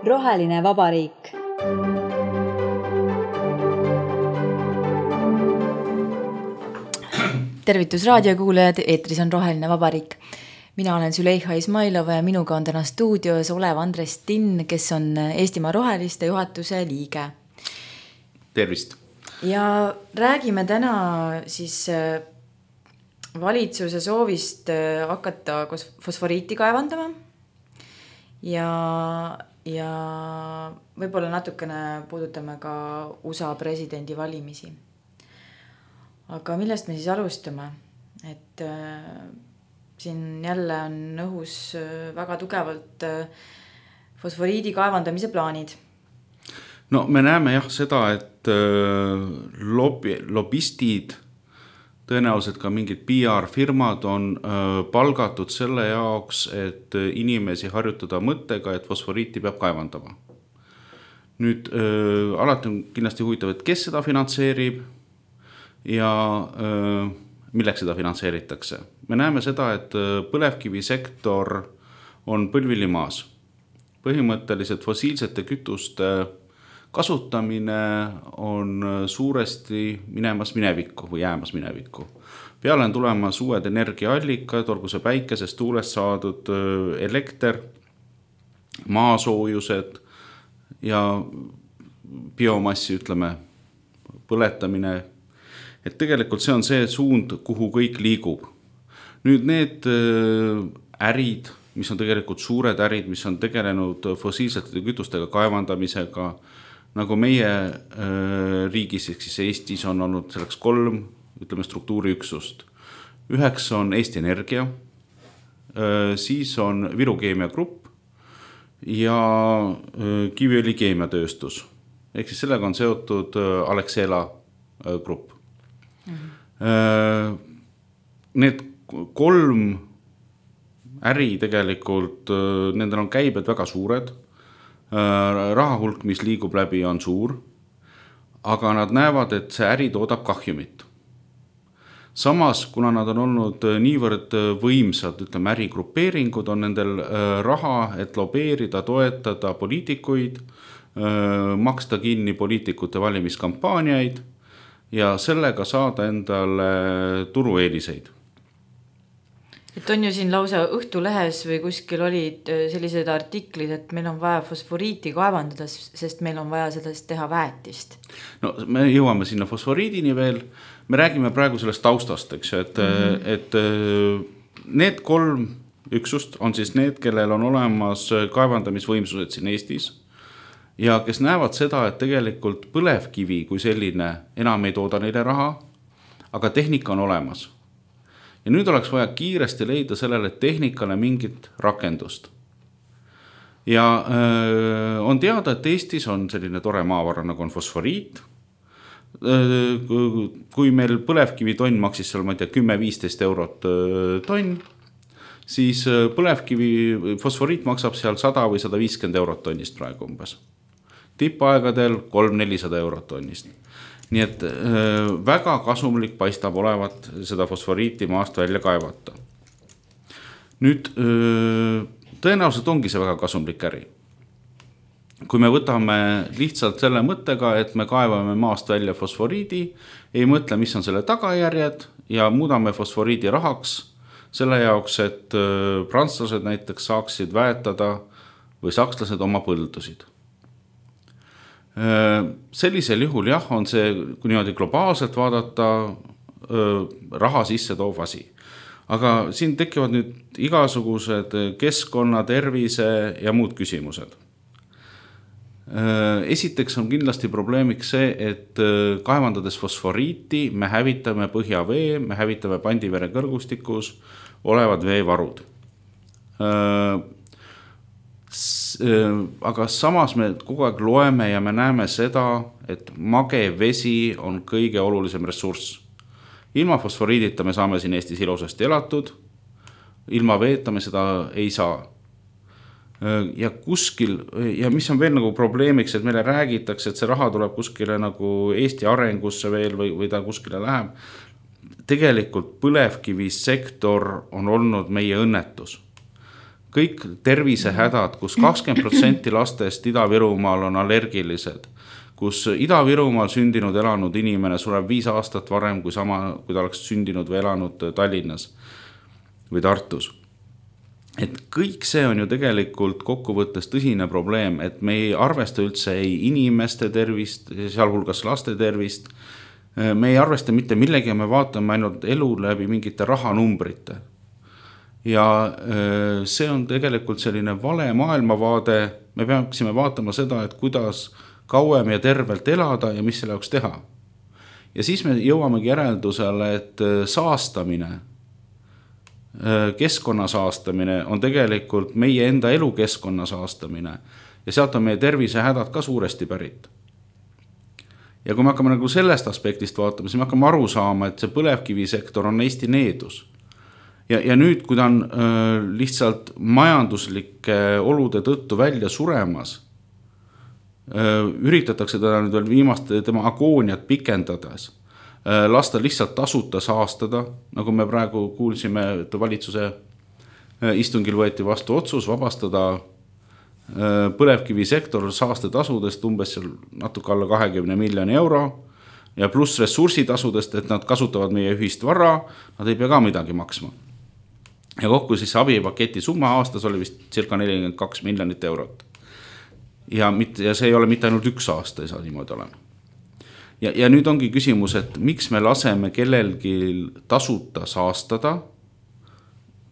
Roheline vabariik. Tervitus raadiokuulajad, eetris on Roheline vabariik. Mina olen Züleyxa Izmailova ja minuga on täna stuudios olev Andres Tinn, kes on Eestimaa Roheliste juhatuse liige. Tervist! Ja räägime täna siis valitsuse soovist hakata fosforiiti kaevandama ja võib-olla natukene puudutame ka USA presidendi valimisi. Aga millest me siis alustame? Et siin jälle on õhus väga tugevalt fosforiidi kaevandamise plaanid. No me näeme jah seda, et lobistid, tõenäoliselt ka mingid PR-firmad on palgatud selle jaoks, et inimesi harjutada mõttega, et fosforiiti peab kaevandama. Nüüd alati on kindlasti huvitav, et kes seda finantseerib ja milleks seda finantseeritakse. Me näeme seda, et põlevkivisektor on põlvili maas. Põhimõtteliselt fossiilsete kütuste kasutamine on suuresti minemas minevikku või jäämas minevikku. Peale on tulemas uued energiaallikad, olgu see päikesest, tuulest saadud elekter, maasoojused ja biomassi, ütleme, põletamine. Et tegelikult see on see suund, kuhu kõik liigub. Nüüd need ärid, mis on tegelikult suured ärid, mis on tegelenud fossiilsete kütustega kaevandamisega, nagu meie riigis, siis Eestis on olnud selleks 3, ütleme, struktuuriüksust. Üheks on Eesti Energia, siis on Viru Keemia Grupp ja Kiviõli keemiatööstus. Ehk siis sellega on seotud Alexela grupp. Need 3 äri tegelikult, nendel on käibed väga suured, rahahulk, mis liigub läbi, on suur, aga nad näevad, et see äri toodab kahjumit. Samas, kuna nad on olnud niivõrd võimsad, ütleme, ärigrupeeringud, on nendel raha, et lobeerida, toetada poliitikuid, maksta kinni poliitikute valimiskampaaniaid ja sellega saada endale turueeliseid. Et on ju siin lausa Õhtulehes või kuskil olid sellised artiklid, et meil on vaja fosforiiti kaevandada, sest meil on vaja sellest teha väetist. No me jõuame sinna fosforiidini veel. Me räägime praegu sellest taustast, eks, et need 3 üksust on siis need, kellel on olemas kaevandamisvõimsused siin Eestis ja kes näevad seda, et tegelikult põlevkivi kui selline enam ei tooda neile raha, aga tehnika on olemas. Ja nüüd oleks vaja kiiresti leida sellele tehnikale mingit rakendust. Ja on teada, et Eestis on selline tore maavara, nagu on fosforiit. Kui meil põlevkivi tonn maksis seal, ma ei tea, 10-15 eurot tonn, siis põlevkivi fosforiit maksab seal 100 või 150 eurot tonnist praegu umbes. Tippaegadel 300-400 eurot tonnist. Nii et väga kasumlik paistab olevat seda fosforiiti maast välja kaevata. Nüüd tõenäoliselt ongi see väga kasumlik äri. Kui me võtame lihtsalt selle mõttega, et me kaevame maast välja fosforiidi, ei mõtle, mis on selle tagajärjed ja muudame fosforiidi rahaks selle jaoks, et prantslased näiteks saaksid väetada või sakslased oma põldusid. Sellisel juhul jah, on see, kui niimoodi globaalselt vaadata, raha sisse toov asi. Aga siin tekivad nüüd igasugused keskkonna, tervise ja muud küsimused. Esiteks on kindlasti probleemiks see, et kaevandades fosforiiti me hävitame põhjavee, me hävitame Pandivere kõrgustikus olevad veevarud. Aga samas me kogu aeg loeme ja me näeme seda, et mage vesi on kõige olulisem ressurss. Ilma fosforiidita me saame siin Eestis ilusasti elatud, ilma veeta me seda ei saa. Ja kuskil, ja mis on veel nagu probleemiks, et meile räägitakse, et see raha tuleb kuskile nagu Eesti arengusse veel või ta kuskile läheb. tegelikult põlevkivisektor on olnud meie õnnetus. Kõik tervisehädad, kus 20% lastest Ida-Virumaal on allergilised, kus Ida-Virumaal sündinud elanud inimene sureb 5 aastat varem kui ta oleks sündinud või elanud Tallinnas või Tartus. Et kõik see on ju tegelikult kokkuvõttes tõsine probleem, et me ei arvesta üldse ei inimeste tervist, sealhulgas laste tervist, me ei arvesta mitte millegi ja me vaatame ainult elu läbi mingite rahanumbrite. Ja see on tegelikult selline vale maailmavaade, me peaksime vaatama seda, et kuidas kauem ja tervelt elada ja mis selle jaoks teha. Ja siis me jõuamegi järeldusele, et saastamine, keskkonna saastamine on tegelikult meie enda elukeskkonna saastamine ja sealt on meie tervisehädad ka suuresti pärit. Ja kui me hakkame nagu sellest aspektist vaatama, siis me hakkame aru saama, et see põlevkivisektor on Eesti needus. Ja nüüd, kui ta on lihtsalt majanduslike olude tõttu välja suremas, üritatakse teda nüüd veel viimaste tema agooniat pikendades, lasta lihtsalt tasuta saastada, nagu me praegu kuulsime, et valitsuse istungil võeti vastu otsus vabastada põlevkivisektor saastetasudest umbes natuke alla 20 miljoni euro ja pluss ressursitasudest, et nad kasutavad meie ühist vara, nad ei pea ka midagi maksma. Ja kokku siis abipaketi summa aastas oli vist circa 42 miljonit eurot. Ja see ei ole mitte ainult 1 aasta, ei saa niimoodi olema. Ja nüüd ongi küsimus, et miks me laseme kellelgi tasuta saastada,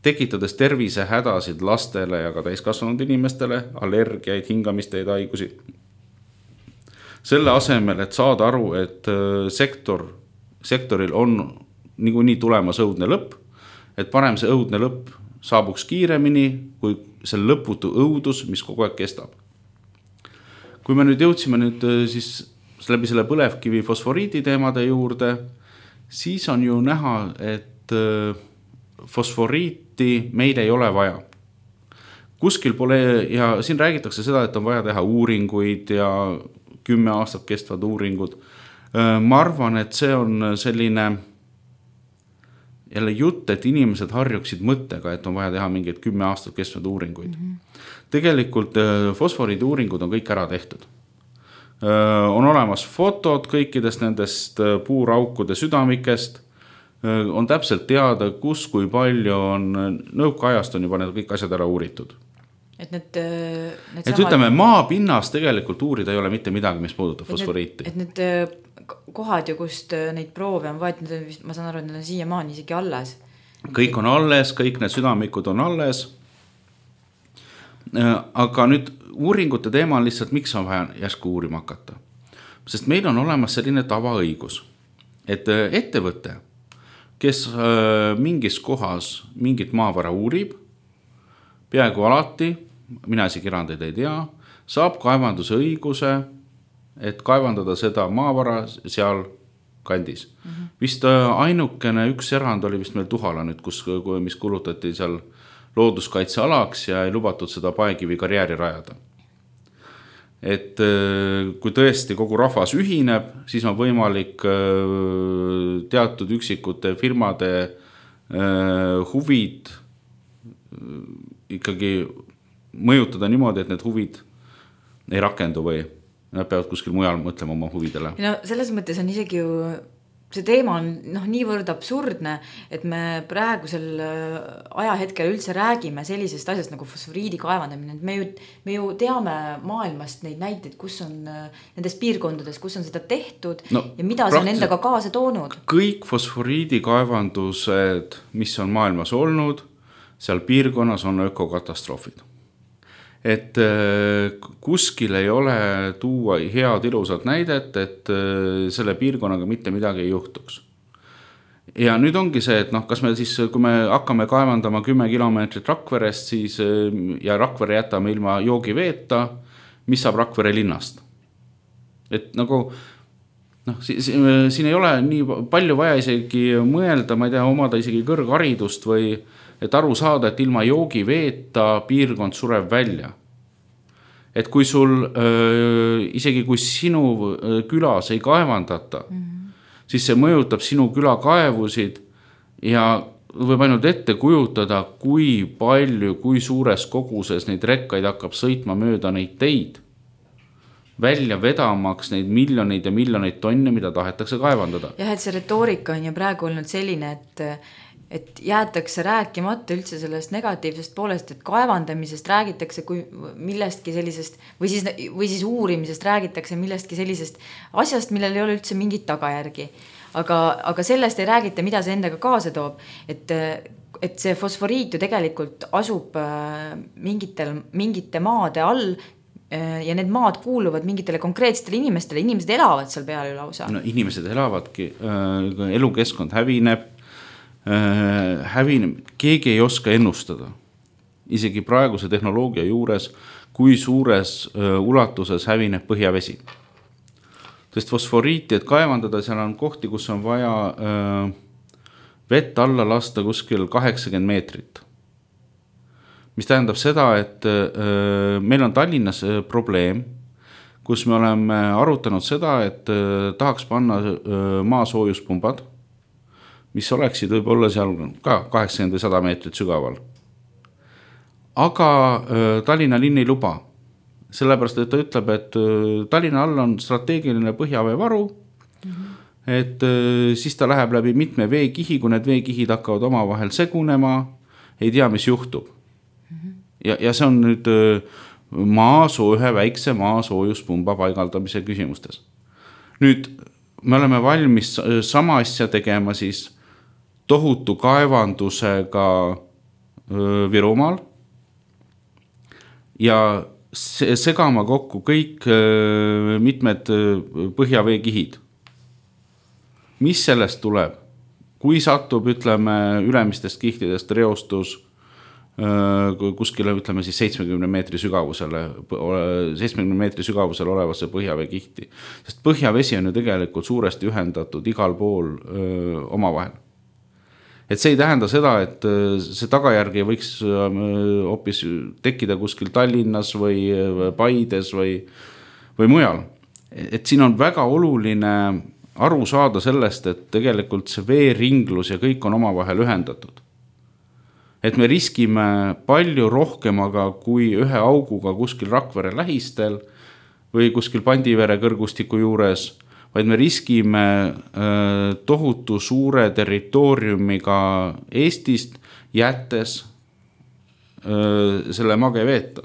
tekitades tervisehädasid lastele ja ka täiskasvanud inimestele, allergiaid, hingamisteid, haigusi. Selle asemel, et saada aru, et sektoril on niikuinii tulemas õudne lõpp, et parem see õudne lõpp saabuks kiiremini kui see lõputu õudus, mis kogu aeg kestab. Kui me nüüd jõudsime siis läbi selle põlevkivi fosforiidi teemade juurde, siis on ju näha, et fosforiiti meil ei ole vaja. Kuskil pole, ja siin räägitakse seda, et on vaja teha uuringuid ja 10 aastat kestvad uuringud. Ma arvan, et see on selline jälle jutt, et inimesed harjuksid mõttega, et on vaja teha mingeid 10 aastat kestvad uuringuid. Tegelikult fosforiidi uuringud on kõik ära tehtud. On olemas fotod kõikidest nendest puuraukude südamikest, on täpselt teada, kus kui palju on, nõukaajast on juba need kõik asjad ära uuritud. Et ütleme, maapinnas tegelikult uurida ei ole mitte midagi, mis puudutab fosforiiti. Et need kohad ju, kust neid proove on võetud, ma saan aru, et need on siiamaani isegi alles. Kõik on alles, kõik need südamikud on alles. Aga nüüd uuringute teema on lihtsalt, miks on vaja järsku uurima hakata. Sest meil on olemas selline tavaõigus, et ettevõte, kes mingis kohas mingit maavara uurib, peaaegu alati, mina isegi erandeid ei tea, saab kaevanduse õiguse, et kaevandada seda maavara seal kandis. Vist ainukene üks erand oli vist meil Tuhala nüüd, mis kulutati seal looduskaitsealaks ja ei lubatud seda Paekivi karjääri rajada. Et kui tõesti kogu rahvas ühineb, siis on võimalik teatud üksikute firmade huvid ikkagi mõjutada niimoodi, et need huvid ei rakendu või nad peavad kuskil mujal mõtlema oma huvidele. No selles mõttes on isegi ju, see teema on niivõrd absurdne, et me praegusel ajahetkel üldse räägime sellisest asjast nagu fosforiidi kaevandamine. Me ju teame maailmast neid näiteid, kus on nendes piirkondades, kus on seda tehtud ja mida see on endaga kaasa toonud. Kõik fosforiidi kaevandused, mis on maailmas olnud, seal piirkonnas on ökokatastroofid. Et kuskil ei ole tuua head ilusat näidet, et selle piirkonnaga mitte midagi ei juhtuks. Ja nüüd ongi see, et kas me siis, kui me hakkame kaevandama 10 kilomeetrit Rakverest, siis ja Rakvere jätame ilma joogiveeta, mis saab Rakvere linnast. Et nagu, siin ei ole nii palju vaja isegi mõelda, ma ei tea, omada isegi kõrgharidust või et aru saada, et ilma joogiveeta piirkond sureb välja. Et kui sul, isegi kui sinu külas ei kaevandata, siis see mõjutab sinu külakaevusid ja võib ainult ette kujutada, kui palju, kui suures koguses neid rekkaid hakkab sõitma mööda neid teid, välja vedamaks neid miljoneid ja miljoneid tonne, mida tahetakse kaevandada. Jah, et see retoorika on ju praegu olnud selline, et jäetakse rääkimata üldse sellest negatiivsest poolest, et kaevandamisest räägitakse kui millestki sellisest või siis uurimisest räägitakse millestki sellisest asjast, millel ei ole üldse mingit tagajärgi. Aga sellest ei räägita, mida see endaga kaasa toob, et see fosforiit ju tegelikult asub mingite maade all ja need maad kuuluvad mingitele konkreetsetele inimestele, inimesed elavad seal peal ju lausa. No, inimesed elavadki, elukeskkond hävineb, keegi ei oska ennustada. Isegi praeguse tehnoloogia juures, kui suures ulatuses hävineb põhjavesi. Sest fosforiiti, et kaevandada, seal on kohti, kus on vaja vett alla lasta kuskil 80 meetrit. Mis tähendab seda, et meil on Tallinnas probleem, kus me oleme arutanud seda, et tahaks panna maasoojuspumbad, mis oleksid võib-olla seal ka 80 või 100 meetrit sügaval. Aga Tallinna linn ei luba. Sellepärast, et ta ütleb, et Tallinna all on strateegiline põhjaveevaru, et siis ta läheb läbi mitme veekihi, kui need veekihid hakkavad omavahel segunema, ei tea, mis juhtub. Ja see on nüüd ühe väikse maasoojuspumba paigaldamise küsimustes. Nüüd me oleme valmis sama asja tegema siis tohutu kaevandusega Virumaal ja segama kokku kõik mitmed põhjaveekihid. Mis sellest tuleb? Kui satub, ütleme, ülemistest kihtidest reostus kuskile, ütleme siis 70 meetri sügavusele olevasse põhjaveekihti. Sest põhjavesi on ju tegelikult suuresti ühendatud igal pool omavahel. Et see ei tähenda seda, et see tagajärgi võiks hoopis tekkida kuskil Tallinnas või Paides või mujal. Et siin on väga oluline aru saada sellest, et tegelikult see veeringlus ja kõik on omavahel ühendatud. Et me riskime palju rohkemaga kui ühe auguga kuskil Rakvere lähistel või kuskil Pandivere kõrgustiku juures, vaid me riskime tohutu suure territooriumiga Eestist jättes selle mageveeta.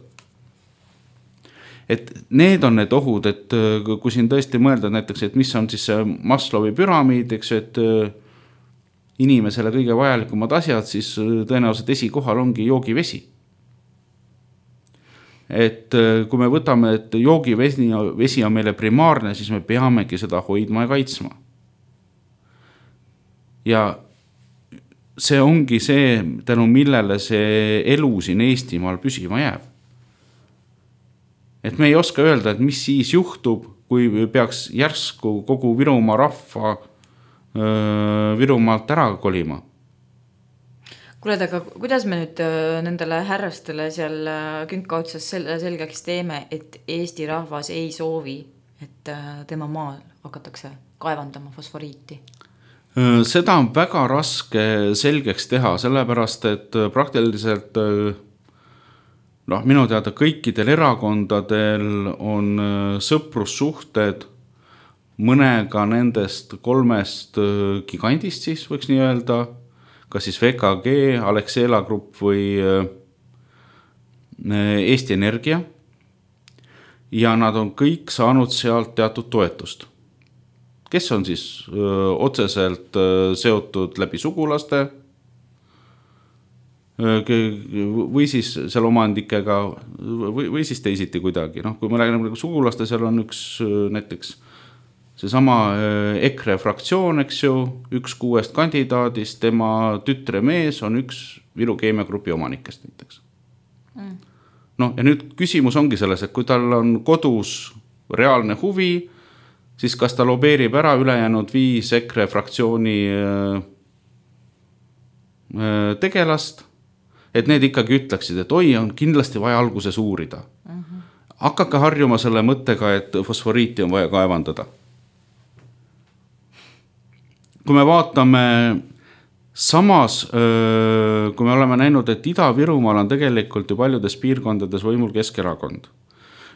Et need on need ohud, et kui siin tõesti mõelda näiteks, et mis on siis see Maslowi püramiid, eks, et inimesele kõige vajalikumad asjad, siis tõenäoliselt esikohal ongi joogivesi. Et kui me võtame, et joogivesi on meile primaarne, siis me peamegi seda hoidma ja kaitsma. Ja see ongi see, tänu millele see elu siin Eestimaal püsima jääb. Et me ei oska öelda, et mis siis juhtub, kui peaks järsku kogu Virumaa rahva Virumaalt ära kolima. Kuule, aga kuidas me nüüd nendele härrastele seal künka otsas selgeks teeme, et Eesti rahvas ei soovi, et tema maal hakatakse kaevandama fosforiiti? Seda on väga raske selgeks teha, sellepärast, et praktiliselt minu teada kõikidel erakondadel on sõprussuhted mõnega nendest 3 gigandist siis võiks nii öelda, kas siis VKG, Alexela Grupp või Eesti Energia. Ja nad on kõik saanud sealt teatud toetust. Kes on siis otseselt seotud läbi sugulaste või siis seal omandikega või siis teisiti kuidagi. Kui me räägime sugulaste, seal on üks näiteks see sama EKRE fraktsioon, eks ju, 1 6 kandidaadist, tema tütre mees on üks Viru Keemia Grupi omanikest näiteks. Ja nüüd küsimus ongi selles, et kui tal on kodus reaalne huvi, siis kas ta lobeerib ära ülejäänud 5 EKRE fraktsiooni tegelast, et need ikkagi ütleksid, et oi, on kindlasti vaja alguses uurida. Hakake harjuma selle mõttega, et fosforiiti on vaja kaevandada. kui me vaatame samas, kui me oleme näinud, et Ida-Virumaal on tegelikult ju paljudes piirkondades võimul Keskerakond.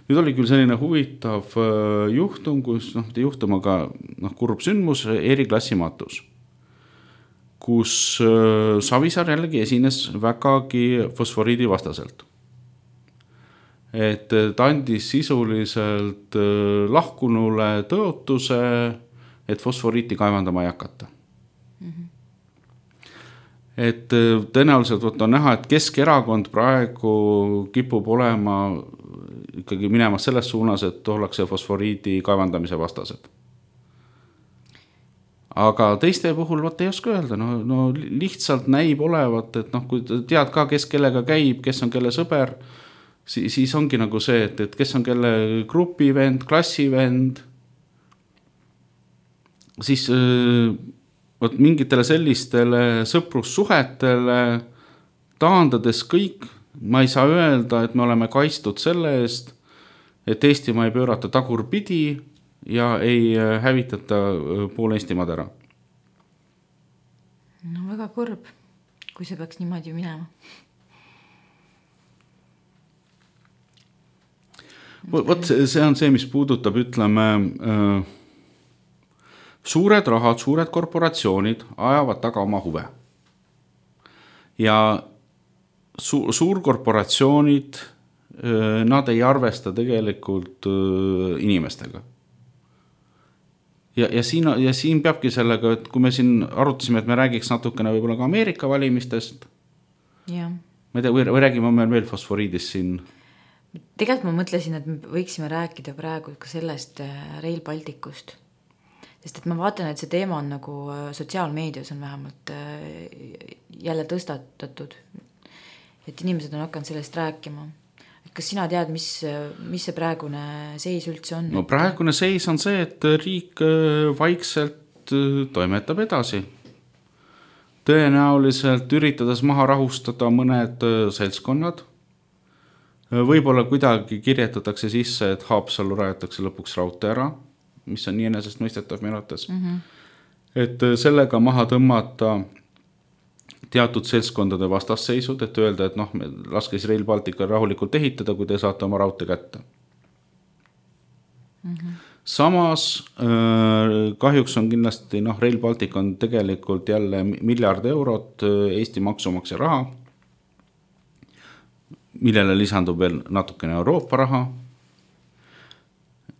Nüüd oli küll selline huvitav juhtum, kus juhtum, aga kurb sündmus, Eriklassi matus, kus Savisaar jällegi esines vägagi fosforiidi vastaselt. Et ta andis sisuliselt lahkunule tõotuse, et fosforiiti kaevandama ei hakata. Et tõenäoliselt on näha, et Keskerakond praegu kipub olema ikkagi minemas selles suunas, et ollakse fosforiidi kaevandamise vastased. Aga teiste puhul ei oska öelda, no lihtsalt näib olevat, et kui tead ka, kes kellega käib, kes on kelle sõber, siis ongi nagu see, et kes on kelle grupivend, klassivend, siis mingitele sellistele sõprussuhetele taandades kõik, ma ei saa öelda, et me oleme kaitstud selle eest, et Eestimaa ei pöörata tagurpidi ja ei hävitata pool Eestimaad ära. No väga kurb, kui see peaks niimoodi minema. Vot see on see, mis puudutab, ütleme, suured rahad, suured korporatsioonid ajavad taga oma huve. Ja suurkorporatsioonid, nad ei arvesta tegelikult inimestega. Ja siin peabki sellega, et kui me siin arutasime, et me räägiks natukene võib-olla ka Ameerika valimistest, ja. Ma ei tea, või räägime meil veel fosforiidist siin? Tegelikult ma mõtlesin, et me võiksime rääkida praegu ka sellest Rail Balticust. Sest et ma vaatan, et see teema on nagu sotsiaalmeedias on vähemalt jälle tõstatatud. Et inimesed on hakanud sellest rääkima. Kas sina tead, mis see praegune seis üldse on? No praegune seis on see, et riik vaikselt toimetab edasi. Tõenäoliselt üritades maha rahustada mõned seltskonnad. Võib-olla kuidagi kirjetatakse sisse, et Haapsallu rajatakse lõpuks raudtee ära, mis on nii enesest mõistetav meenutas. Et sellega maha tõmmata teatud seltskondade vastasseisud, et öelda, et laske siis Rail Baltica rahulikult ehitada, kui te saate oma raudtee kätte. Samas kahjuks on kindlasti, Rail Baltic on tegelikult jälle miljard eurot Eesti maksumaksja raha, millele lisandub veel natukene Euroopa raha,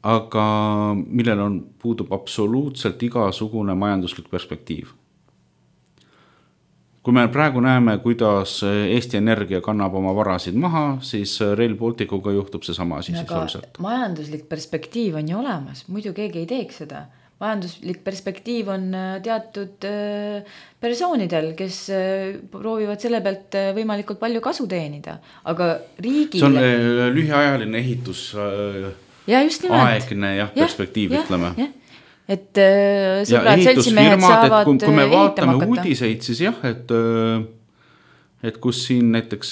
aga millel puudub absoluutselt igasugune majanduslik perspektiiv. Kui me praegu näeme, kuidas Eesti Energia kannab oma varasid maha, siis Rail Balticuga juhtub see sama asi sisuliselt. Majanduslik perspektiiv on ju olemas, muidu keegi ei teeks seda. Majanduslik perspektiiv on teatud persoonidel, kes proovivad selle pealt võimalikult palju kasu teenida. Aga riigile... See on lühiajaline ehitus aegne perspektiiv, ütleme. Et sõbrad seltsimehed saavad kui me vaatame uudiseid, siis jah, et kus siin näiteks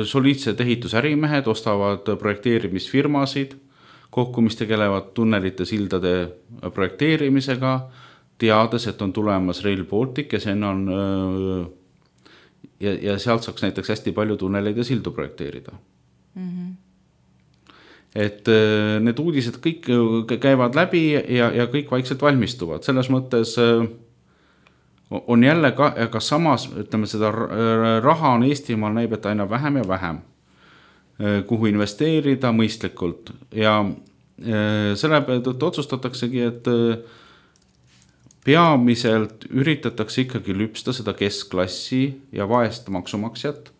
soliidsed ehitusärimehed ostavad projekteerimisfirmasid, kokku, mis tegelevad tunnelite sildade projekteerimisega, teades, et on tulemas Rail Baltic ja see on ja sealt saaks näiteks hästi palju tunneleid ja sildu projekteerida. Et need uudised kõik käivad läbi ja kõik vaikselt valmistuvad. Selles mõttes on jälle ka samas, ütleme, seda raha on Eestimaal näib, et aina vähem ja vähem, kuhu investeerida mõistlikult. Ja selle pealt otsustataksegi, et peamiselt üritatakse ikkagi lüpsta seda keskklassi ja vaest maksumaksjat,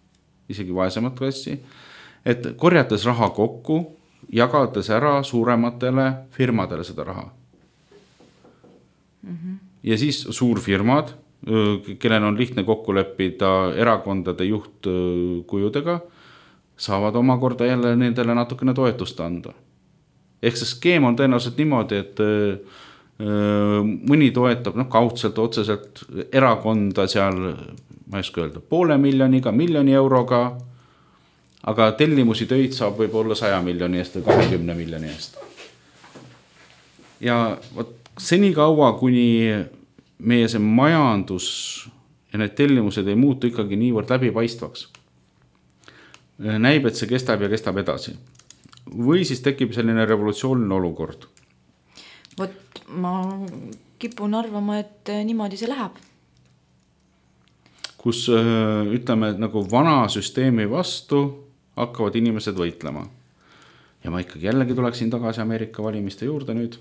isegi vaesemat klassi, et korjates raha kokku, jagades ära suurematele firmadele seda raha. Ja siis suurfirmad, kellel on lihtne kokku leppida erakondade juhtkujudega, saavad omakorda jälle nendele natukene toetust anda. Ehk see skeem on tõenäoliselt niimoodi, et mõni toetab kaudselt, otseselt erakonda seal, ma ei oska öelda, 500 miljoniga, 1 miljoni euroga, aga tellimusi töid saab võib-olla 100 miljoni eest või 20 miljoni eest. Ja seni kaua, kuni meie see majandus ja need tellimused ei muutu ikkagi niivõrd läbipaistvaks. Näib, et see kestab ja kestab edasi. Või siis tekib selline revolutsiooniline olukord. Vot ma kipun arvama, et niimoodi see läheb. Kus ütleme, et nagu vana süsteemi vastu hakkavad inimesed võitlema. Ja ma ikkagi jällegi tuleksin tagasi Ameerika valimiste juurde nüüd.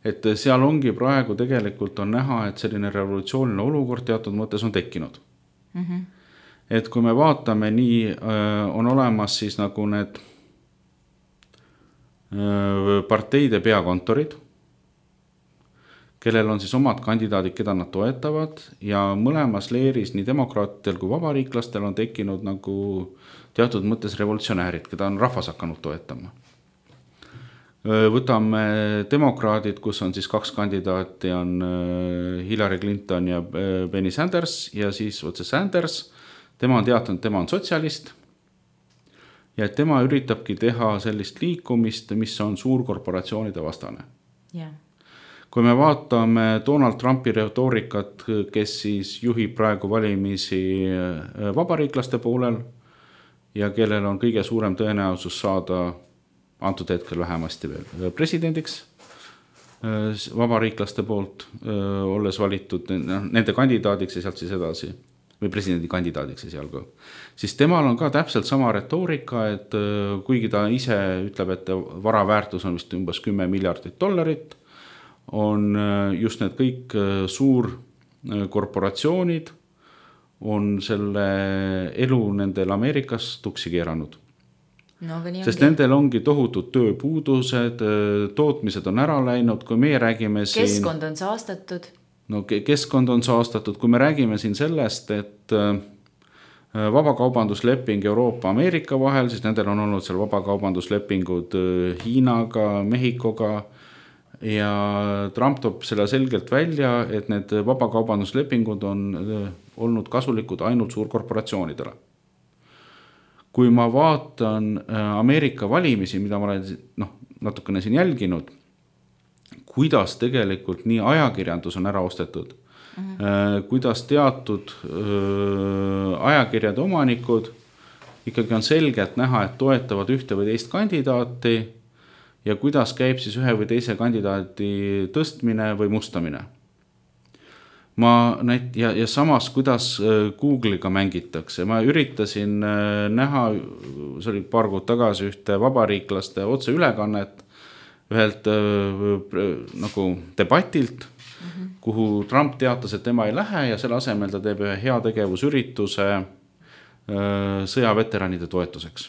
Et seal ongi praegu tegelikult on näha, et selline revolutsiooniline olukord teatud mõttes on tekkinud. Et kui me vaatame, nii on olemas siis nagu need parteide peakontorid, kellel on siis omad kandidaadid, keda nad toetavad ja mõlemas leeris nii demokraatidel kui vabariiklastel on tekkinud nagu teatud mõttes revolutsionäärid, keda on rahvas hakanud toetama. Võtame demokraadid, kus on siis 2 kandidaati, on Hillary Clinton ja Bernie Sanders ja siis otse Sanders, tema on teatanud, tema on sotsialist ja tema üritabki teha sellist liikumist, mis on suurkorporatsioonide vastane. Yeah. Kui me vaatame Donald Trumpi retoorikat, kes siis juhib praegu valimisi vabariiklaste poolel ja kellel on kõige suurem tõenäosus saada antud hetkel vähemasti veel presidendiks vabariiklaste poolt olles valitud nende kandidaadiks ja sealt siis edasi või presidendi kandidaadiks ja seal ka. Siis temal on ka täpselt sama retoorika, et kuigi ta ise ütleb, et vara väärtus on vist umbes $10 miljardit, on just need kõik suurkorporatsioonid on selle elu nendel Ameerikas tuksi keeranud. No, sest nendel ongi tohutud tööpuudused, tootmised on ära läinud, kui meie räägime siin... Keskkond on saastatud. No keskkond on saastatud, kui me räägime siin sellest, et vabakaubandusleping Euroopa-Ameerika vahel, siis nendel on olnud seal vabakaubanduslepingud Hiinaga, Mehhikoga ja Trump toob selle selgelt välja, et need vabakaubanduslepingud on olnud kasulikud ainult suurkorporatsioonidele. Kui ma vaatan Ameerika valimisi, mida ma olen natukene siin jälginud, kuidas tegelikult nii ajakirjandus on ära ostetud, kuidas teatud ajakirjade omanikud ikkagi on selgelt näha, et toetavad ühte või teist kandidaati ja kuidas käib siis ühe või teise kandidaati tõstmine või mustamine. Ja samas, kuidas Google'iga mängitakse. Ma üritasin näha, see oli paar kuud tagasi ühte vabariiklaste otse ülekannet ühelt nagu debatilt, kuhu Trump teatas, et tema ei lähe ja selle asemel ta teeb ühe heategevusürituse sõjaveteranide toetuseks.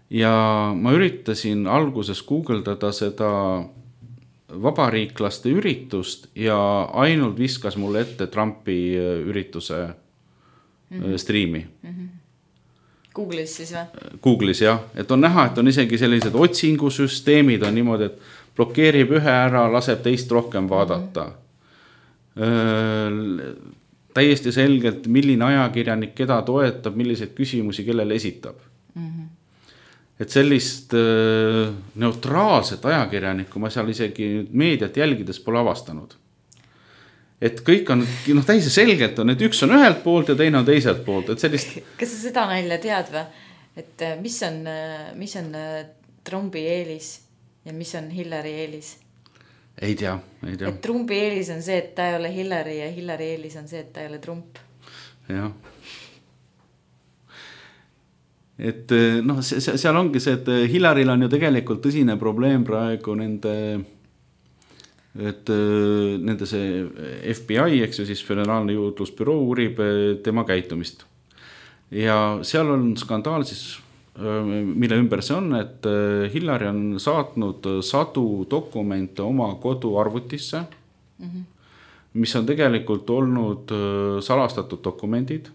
Ja ma üritasin alguses guugeldada seda vabariiklaste üritust ja ainult viskas mulle ette Trumpi ürituse striimi. Google'is siis või? Google'is jah, et on näha, et on isegi sellised otsingusüsteemid on niimoodi, et blokeerib ühe ära, laseb teist rohkem vaadata. Täiesti selgelt, milline ajakirjanik keda toetab, milliseid küsimusi kellele esitab. Et sellist neutraalset ajakirjanikku ma seal isegi meediat jälgides pole avastanud. Et kõik on, täiesti selgelt on, et üks on ühelt poolt ja teine on teiselt poolt. Et sellist... Kas sa seda nalja tead või? Et mis on Trumpi eelis ja mis on Hillary eelis? Ei tea. Et Trumpi eelis on see, et ta ei ole Hillary ja Hillary eelis on see, et ta ei ole Trump. Jah. Et seal ongi see, et Hillaryl on ju tegelikult tõsine probleem praegu nende see FBI, eks ju siis Föderaalne juurdlusbüroo uurib tema käitumist. Ja seal on skandaal siis, mille ümber see on, et Hillary on saatnud 100 dokumente oma koduarvutisse, mis on tegelikult olnud salastatud dokumendid.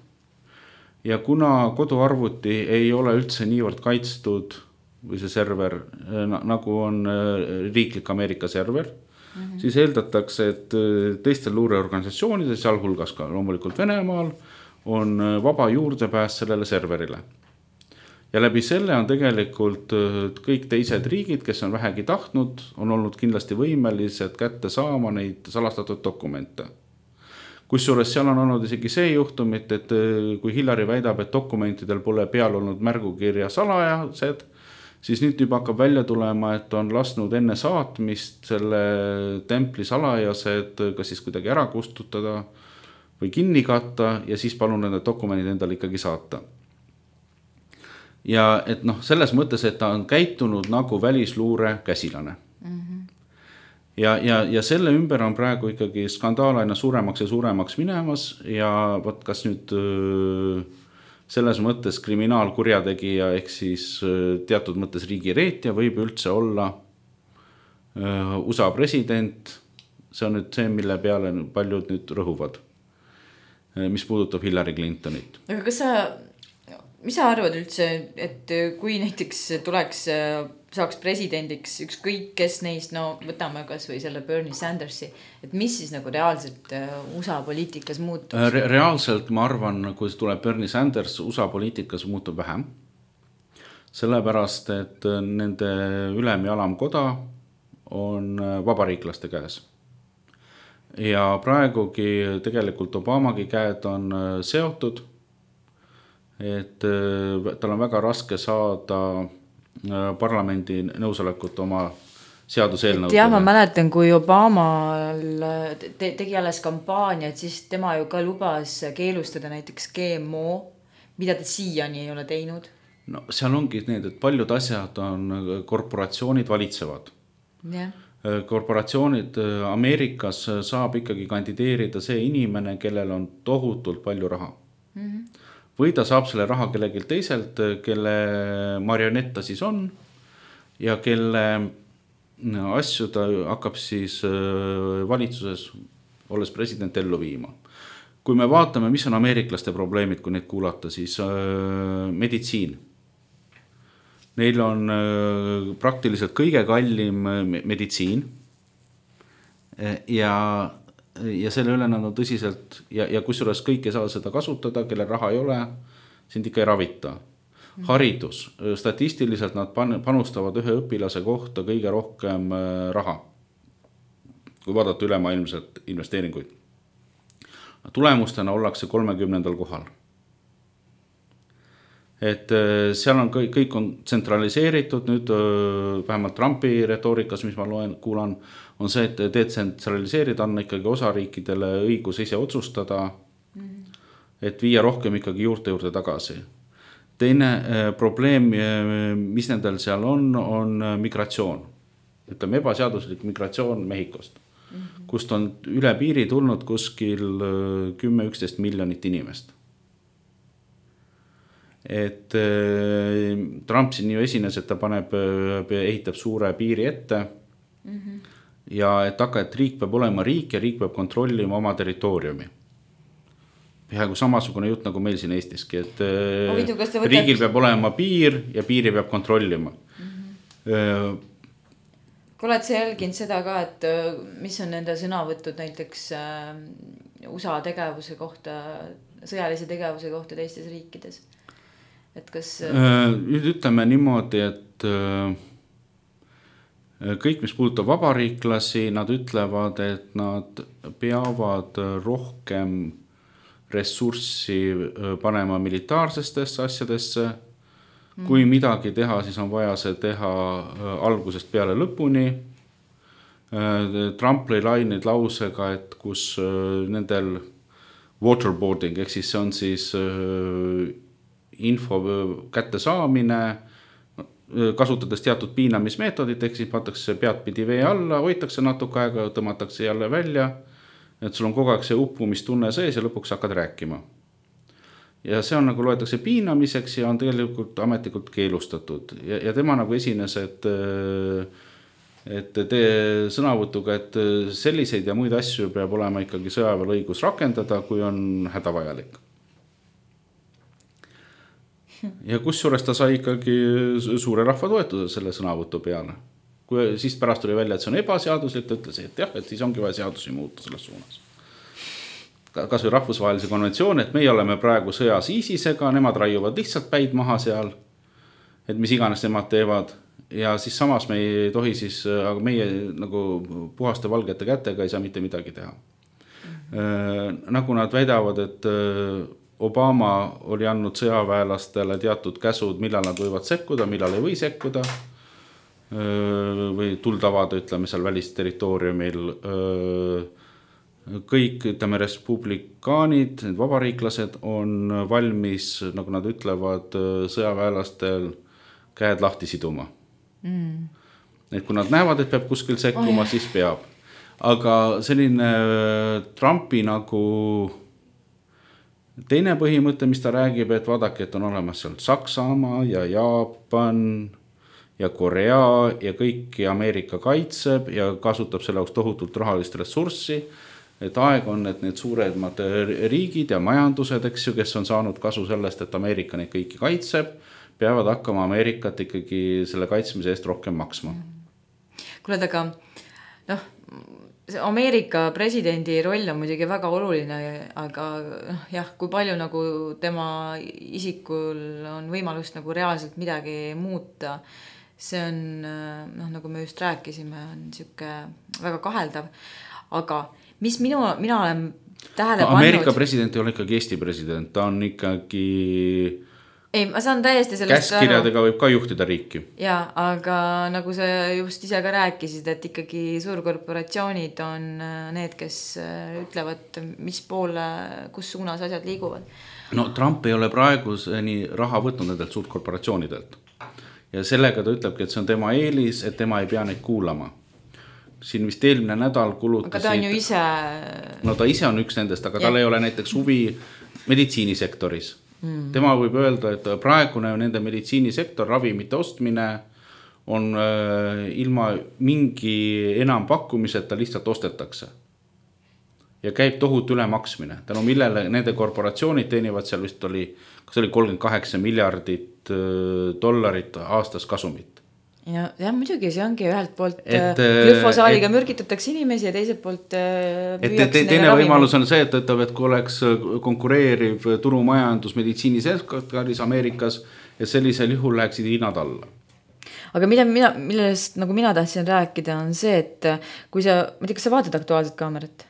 Ja kuna koduarvuti ei ole üldse niivõrd kaitstud või see server, nagu on riiklik Ameerika server, siis eeldatakse, et teistel luureorganisatsioonidel, sealhulgas ka loomulikult Venemaal, on vaba juurdepääs sellele serverile. ja läbi selle on tegelikult kõik teised riigid, kes on vähegi tahtnud, on olnud kindlasti võimelised kätte saama neid salastatud dokumente. Kusjuures seal on olnud isegi see juhtumit, et kui Hillary väidab, et dokumentidel pole peal olnud märgukirja salajased, siis nüüd juba hakkab välja tulema, et on lasknud enne saatmist selle templi salajased kas siis kuidagi ära kustutada või kinni katta ja siis palun need dokumendid endale ikkagi saata. Ja et noh, selles mõttes, et ta on käitunud nagu välisluure käsilane. Ja selle ümber on praegu ikkagi skandaal aina suuremaks ja suuremaks minemas ja võt kas nüüd selles mõttes kriminaalkurjategija ehk siis teatud mõttes riigireetja võib üldse olla USA president, see on nüüd see, mille peale paljud nüüd rõhuvad, mis puudutab Hillary Clintonit. Aga mis sa arvad üldse, et kui näiteks saaks presidendiks ükskõik kes neist, no võtame kas või selle Bernie Sandersi, et mis siis nagu reaalselt USA poliitikas muutus? Reaalselt ma arvan, kui tuleb Bernie Sanders, USA poliitikas muutub vähem. Sellepärast, et nende ülem- ja alamkoda on vabariiklaste käes. Ja praegugi tegelikult Obamagi käed on seotud, et tal on väga raske saada parlamendi nõusolekut oma seaduseelnõudele. Ja ma mäletan, kui Obama tegi alles kampaaniat, siis tema ju ka lubas keelustada näiteks GMO, mida ta siiani ei ole teinud. No seal ongi need, et paljud asjad on korporatsioonid valitsevad. Yeah. Korporatsioonid Ameerikas saab ikkagi kandideerida see inimene, kellel on tohutult palju raha. Või ta saab selle raha kellegilt teiselt, kelle marionett ta siis on ja kelle asju ta hakkab siis valitsuses, olles president, ellu viima. Kui me vaatame, mis on ameeriklaste probleemid, kui neid kuulata, siis meditsiin. Neil on praktiliselt kõige kallim meditsiin ja selle üle nad on tõsiselt ja kusjuures kõik ei saa seda kasutada, kelle raha ei ole, sind ikka ei ravita. Haridus, statistiliselt nad panustavad ühe õpilase kohta kõige rohkem raha, kui vaadata ülemaailmselt investeeringuid. Tulemustena ollakse 30. kohal. Et seal on kõik on tsentraliseeritud, nüüd vähemalt Trumpi retoorikas, mis ma kuulan, on see, et detsentraliseerida on ikkagi osariikidele õigus ise otsustada, et viia rohkem ikkagi juurde tagasi. Teine probleem, mis nendel seal on migratsioon. Ütleme, ebaseaduslik migratsioon Mehhikost, kust on üle piiri tulnud kuskil 10-11 miljonit inimest. Et Trump siin ju esines, et ta ehitab suure piiri ette ja et riik peab olema riik ja riik peab kontrollima oma territooriumi. Peaaegu samasugune jutt nagu meil siin Eestiski, et riigil peab olema piir ja piiri peab kontrollima. Kui oled sa jälginud seda ka, et mis on nende sõnavõtud näiteks USA tegevuse kohta, sõjalise tegevuse kohta teistes riikides? Et kas... Nüüd ütleme niimoodi, et kõik, mis puudutab vabariiklasi, nad ütlevad, et nad peavad rohkem ressurssi panema militaarsestesse asjadesse. Kui midagi teha, siis on vaja see teha algusest peale lõpuni. Trump lõi laineid lausega, et kus nendel waterboarding, ehk siis see on siis info kätte saamine, kasutades teatud piinamismeetodit, ehk siis pannakse peadpidi vee alla, hoitakse natuke aega, tõmmatakse jälle välja, et sul on kogu aeg see uppumistunne sees ja lõpuks hakkad rääkima. Ja see on nagu loetakse piinamiseks ja on tegelikult ametlikult keelustatud. Ja tema nagu esines, et sõnavõtuga, et selliseid ja muid asju peab olema ikkagi sõjaväel õigus rakendada, kui on hädavajalik. Ja kusjuures ta sai ikkagi suure rahva toetuse selle sõnavõtu peale. Kui siis pärast tuli välja, et see on ebaseaduslik, ta ütles, et jah, et siis ongi vaja seadusi muuta selles suunas. Kas või rahvusvahelise konventsioon, et meie oleme praegu sõjas ISISega, nemad raiuvad lihtsalt päid maha seal et mis iganes nemad teevad ja siis samas me ei tohi siis, aga meie nagu puhaste valgete kätega ei saa mitte midagi teha. Nagu nad väidavad, et Obama oli andnud sõjaväelastele teatud käsud, millal nad võivad sekkuda, millal ei või sekkuda või tuldavada, ütleme seal välisterritooriumil. Kõik, ütleme, respublikaanid, need vabariiklased on valmis, nagu nad ütlevad, sõjaväelastel käed lahti siduma. Et kui nad näevad, et peab kuskil sekkuma, siis peab. Aga selline Trumpi nagu teine põhimõte, mis ta räägib, et vaadake, et on olemas seal Saksamaa ja Jaapan ja Korea ja kõiki Ameerika kaitseb ja kasutab selle jaoks tohutult rahalist ressurssi. Et aeg on, et need suuremad riigid ja majandused, eks ju, kes on saanud kasu sellest, et Ameerika neid kõiki kaitseb, peavad hakkama Ameerikat ikkagi selle kaitsmise eest rohkem maksma. Kuule, aga Ameerika presidendi roll on muidugi väga oluline, aga jah, kui palju nagu tema isikul on võimalust nagu reaalselt midagi muuta, see on, nagu me just rääkisime, on siuke väga kaheldav, aga mis mina olen tähele pannud... Ameerika president ei ole ikkagi Eesti president, ta on ikkagi... Ei, ma saan täiesti sellest käskirjadega võib ka juhtida riiki. Jaa, aga nagu sa just ise ka rääkisid, et ikkagi suurkorporatsioonid on need, kes ütlevad, mis poole, kus suunas asjad liiguvad. No Trump ei ole praegu nii raha võtnud nendelt suurkorporatsioonidelt. Ja sellega ta ütlebki, et see on tema eelis, et tema ei pea neid kuulama. Siin vist eelmine nädal kulutas... Aga ta on ju ise... No ta ise on üks nendest, aga tal ei ole näiteks huvi meditsiinisektoris. Tema võib öelda, et praegune nende meditsiinisektor, ravimite ostmine on ilma mingi enam pakkumiseta lihtsalt ostetakse. Ja käib tohutu ülemaksmine. Tänu millele nende korporatsioonid teenivad seal vist oli, kas oli 38 miljardit dollarit aastas kasumit. Ja muidugi see ongi ühelt poolt glüfosaadiga mürgitatakse inimesi ja teiselt poolt teine võimalus on see, et ütleb, et kui oleks konkureeriv turumajandus meditsiinisektoris Ameerikas ja sellisel juhul läheksid hinnad alla. Aga millest nagu mina tahtsin rääkida on see, et kui sa, ma tea, kas sa vaatad Aktuaalset kaamerat?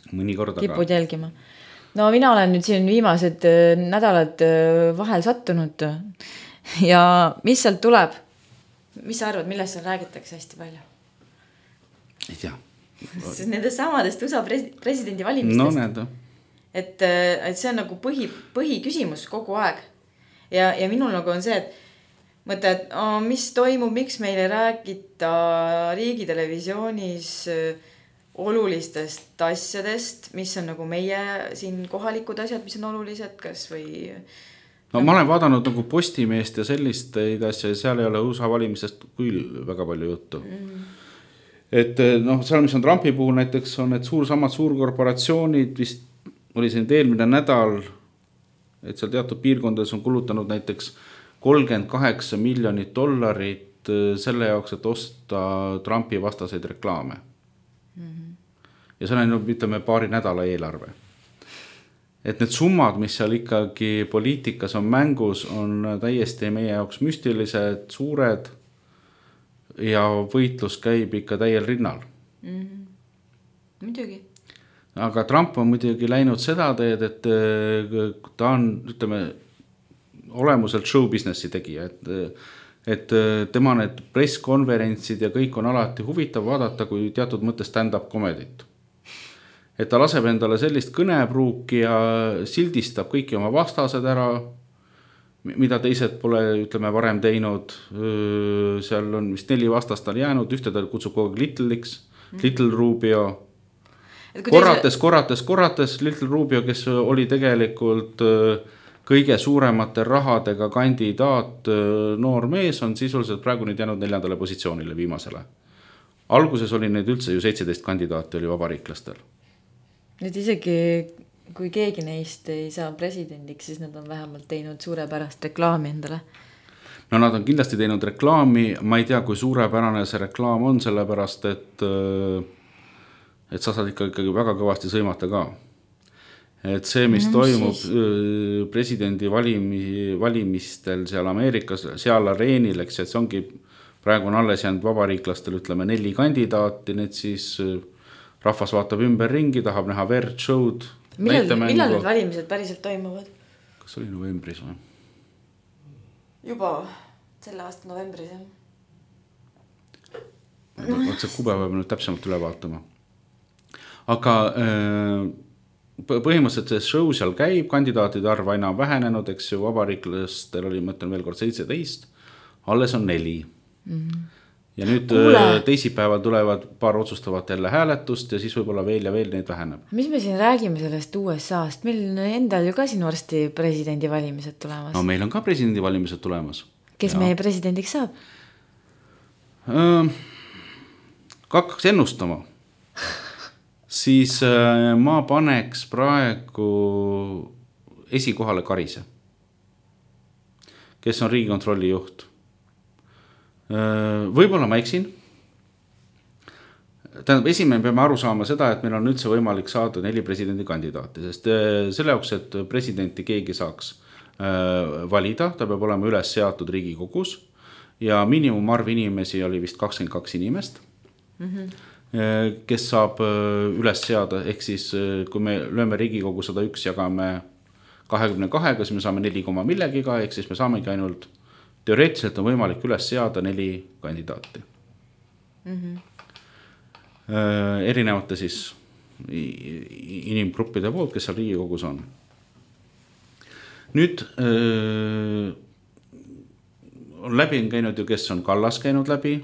Mõnikord kipud jälgima. No mina olen nüüd siin viimased nädalad vahel sattunud ja mis sealt tuleb? Mis sa arvad, millest seal räägitakse hästi palju? Ei tea. Nende samadest USA presidendi valimistest. No need. Et see on nagu põhi küsimus kogu aeg. Ja minul nagu on see, et mõte, et mis toimub, miks meile räägita riigitelevisioonis olulistest asjadest, mis on nagu meie siin kohalikud asjad, mis on olulised, kas või... No ma olen vaadanud nagu Postimeest ja sellist asja, seal ei ole USA valimisest küll väga palju juttu. Et seal, mis on Trumpi puhul näiteks, on, et samad suurkorporatsioonid vist oli siin eelmine nädal, et seal teatud piirkondades on kulutanud näiteks 38 miljonit dollarit selle jaoks, et osta Trumpi vastaseid reklaame. Ja see on, ütleme, paari nädala eelarve. Et need summad, mis seal ikkagi poliitikas on mängus, on täiesti meie jaoks müstilised, suured ja võitlus käib ikka täiel rinnal. Muidugi. Aga Trump on muidugi läinud seda teed, et ta on, ütleme, olemuselt show businessi tegija, et tema need presskonverentsid ja kõik on alati huvitav vaadata, kui teatud mõttes stand-up komedit. Et ta laseb endale sellist kõnepruuki ja sildistab kõiki oma vastased ära, mida teised pole, ütleme, varem teinud. Seal on vist 4 vastast tal jäänud, ühte ta kutsub kogu aeg Little Rubio. Korrates Little Rubio, kes oli tegelikult kõige suuremate rahadega kandidaat noor mees, on sisuliselt praegu nüüd jäänud 4. positsioonile viimasele. Alguses oli neid üldse ju 17 kandidaati oli vabariiklastel. Nüüd isegi kui keegi neist ei saa presidendiks, siis nad on vähemalt teinud suurepärast reklaami endale. No nad on kindlasti teinud reklaami, ma ei tea, kui suurepärane see reklaam on, sellepärast, et sa saad ikkagi väga kõvasti sõimata ka. et see, mis toimub presidendi valimistel seal Ameerikas, seal areenil, eks, et see ongi, praegu on alles jäänud vabariiklastel, ütleme 4 kandidaati, need siis rahvas vaatab ümber ringi, tahab näha verd, show'd. Millal need valimised päriselt toimuvad? Kas oli novembris või? Juba selle aasta novembris, jah. See kuupäeva peab nüüd täpsemalt üle vaatama. Aga põhimõtteliselt see show seal käib, kandidaatide arv aina vähenenud, eks ju, vabariiklastel oli, mõtlen veel kord 17, alles on 4. Ja nüüd teisipäeval tulevad paar otsustavat jälle hääletust ja siis võib-olla veel ja veel neid väheneb. Mis me siin räägime sellest USA-st? Meil endal ju ka siin varsti presidendivalimised tulemas. No meil on ka presidendivalimised tulemas. Kes meie presidendiks saab? Hakkaks ennustama. Siis ma paneks praegu esikohale Karise, kes on Riigikontrolli juht. Võib-olla ma eksin. Tähendab, esimene peame aru saama seda, et meil on üldse võimalik saada 4 presidendi kandidaati, sest selle jaoks, et presidenti keegi saaks valida, ta peab olema üles seatud Riigikogus ja miinimumarv inimesi oli vist 22 inimest, kes saab üles seada, ehk siis kui me lööme Riigikogu 101 jagame 22-ga, siis me saame 4, millegiga, ehk siis me saamegi ainult teoreetiliselt on võimalik üles seada 4 kandidaati. Erinevate siis inimgruppide poolt, kes seal Riigikogus on. Nüüd on läbi käinud ju, kes on Kallas käinud läbi.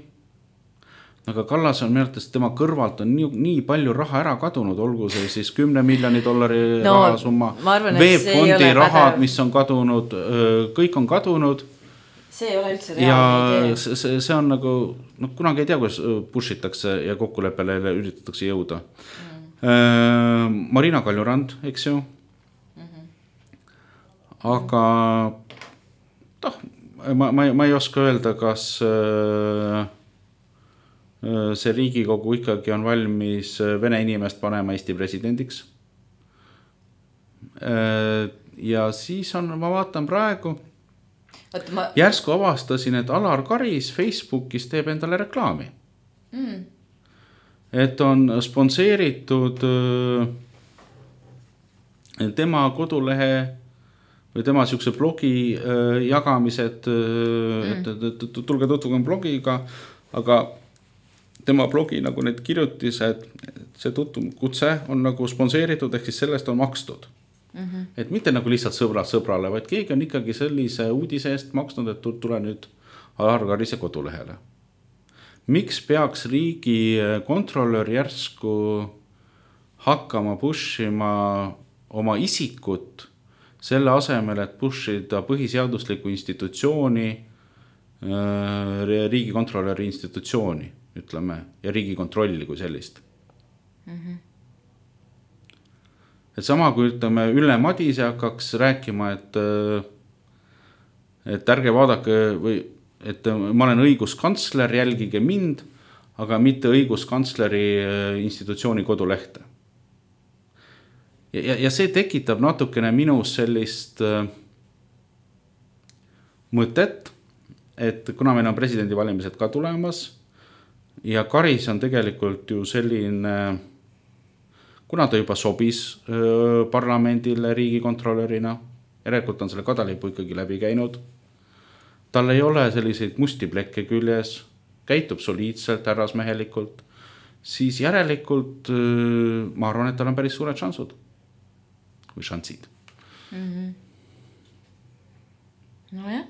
Aga Kallas on meeltes, tema kõrvalt on nii palju raha ära kadunud, olgu see siis 10 miljoni dollari rahasumma, veebfondi rahad, mis on kadunud, kõik on kadunud. See ei ole üldse reaalne idee. See on nagu, kunagi ei tea, kuidas pushitakse ja kokkuleppele üritatakse jõuda. Marina Kaljurand, eks ju. Aga ma ei oska öelda, kas see Riigikogu ikkagi on valmis Vene inimest panema Eesti presidendiks. Ja siis on, ma vaatan praegu, järsku avastasin, et Alar Karis Facebookis teeb endale reklaami. Et on sponseeritud tema kodulehe või tema siukse blogi jagamised, tulge tutvugem blogiga, aga tema blogi nagu need kirjutised, see kutse on nagu sponseeritud, ehk siis sellest on makstud. Et mitte nagu lihtsalt sõbrad sõbrale, vaid keegi on ikkagi sellise uudise eest maksnud, et tule nüüd Alar Karise kodulehele. Miks peaks riigi kontrollör järsku hakkama pushima oma isikut selle asemel, et pushida põhiseadusliku institutsiooni, riigikontrolöri institutsiooni, ütleme, ja riigikontrolli kui sellist. Et sama kui ütleme, Ülle Madise hakkaks rääkima, et ärge vaadake või et ma olen õiguskantsler, jälgige mind, aga mitte õiguskantsleri institutsiooni kodulehte. Ja see tekitab natukene minus sellist mõtet, et kuna meil on presidendivalimised ka tulemas ja Karis on tegelikult ju selline, kuna ta juba sobis parlamendile riigikontrolörina, järelikult on selle kadalipu ikkagi läbi käinud, tal ei ole selliseid musti plekke küljes, käitub soliidselt, härrasmehelikult, siis järelikult ma arvan, et tal on päris suured šansud või šansid. No jah,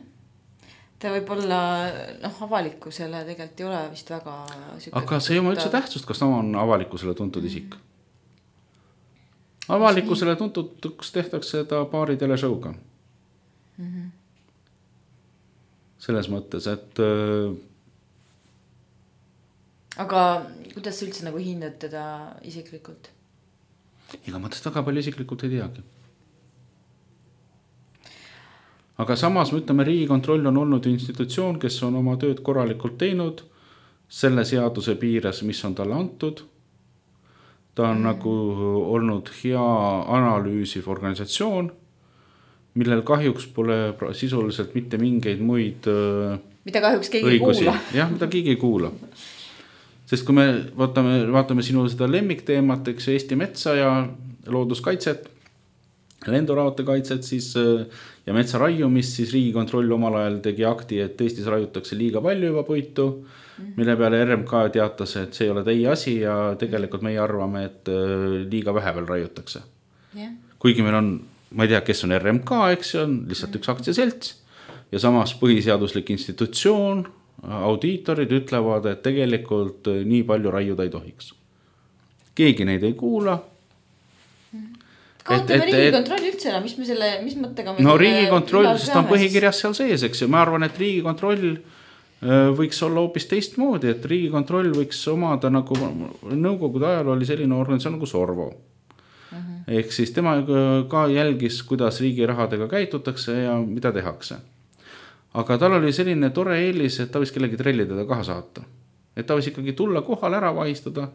ta võib olla avalikkusele tegelikult ei ole vist väga aga see ei oma üldse tähtsust, kas ta on avalikkusele tuntud isik. Avalikkusele tuntuks tehtakse seda paari teleshow'ga. Selles mõttes, et aga kuidas sa üldse nagu hindad teda isiklikult? Ega ma tõst väga palju isiklikult ei teagi. Aga samas me ütleme, Riigikontroll on olnud institutsioon, kes on oma tööd korralikult teinud selle seaduse piires, mis on talle antud. ta on nagu olnud hea analüüsiv organisatsioon, millel kahjuks pole sisuliselt mitte mingeid muid mida kahjuks keegi õigusi. ei kuula. Jah, mida keegi ei kuula. Sest kui me vaatame sinu seda lemmikteemat, eks Eesti metsa ja looduskaitset, lenduraudte kaitset siis, ja metsa raiumist, siis Riigikontroll omal ajal tegi akti, et Eestis raiutakse liiga palju juba puitu, mille peale RMK teatas, et see ei ole teie asi ja tegelikult meie arvame, et liiga vähe veel raiutakse. Yeah. Kuigi meil on, ma ei tea, kes on RMK, eks see on lihtsalt üks aktsiaselts ja samas põhiseaduslik institutsioon, audiitorid ütlevad, et tegelikult nii palju raiuda ei tohiks. Keegi neid ei kuula. Kaotame Riigikontroll üldse ära, mis mõttega me no Riigikontroll, sest ta on põhikirjas seal sees, eks ju. Ma arvan, et Riigikontroll võiks olla hoopis teistmoodi, et Riigikontroll võiks omada nagu nõukogude ajal oli selline organisatsioon nagu Sorvo. Ehk siis tema ka jälgis, kuidas riigi rahadega käitutakse ja mida tehakse. Aga tal oli selline tore eelis, et ta võis kellegi trellidega kaha saata. Et ta võis ikkagi tulla kohal ära vahistada.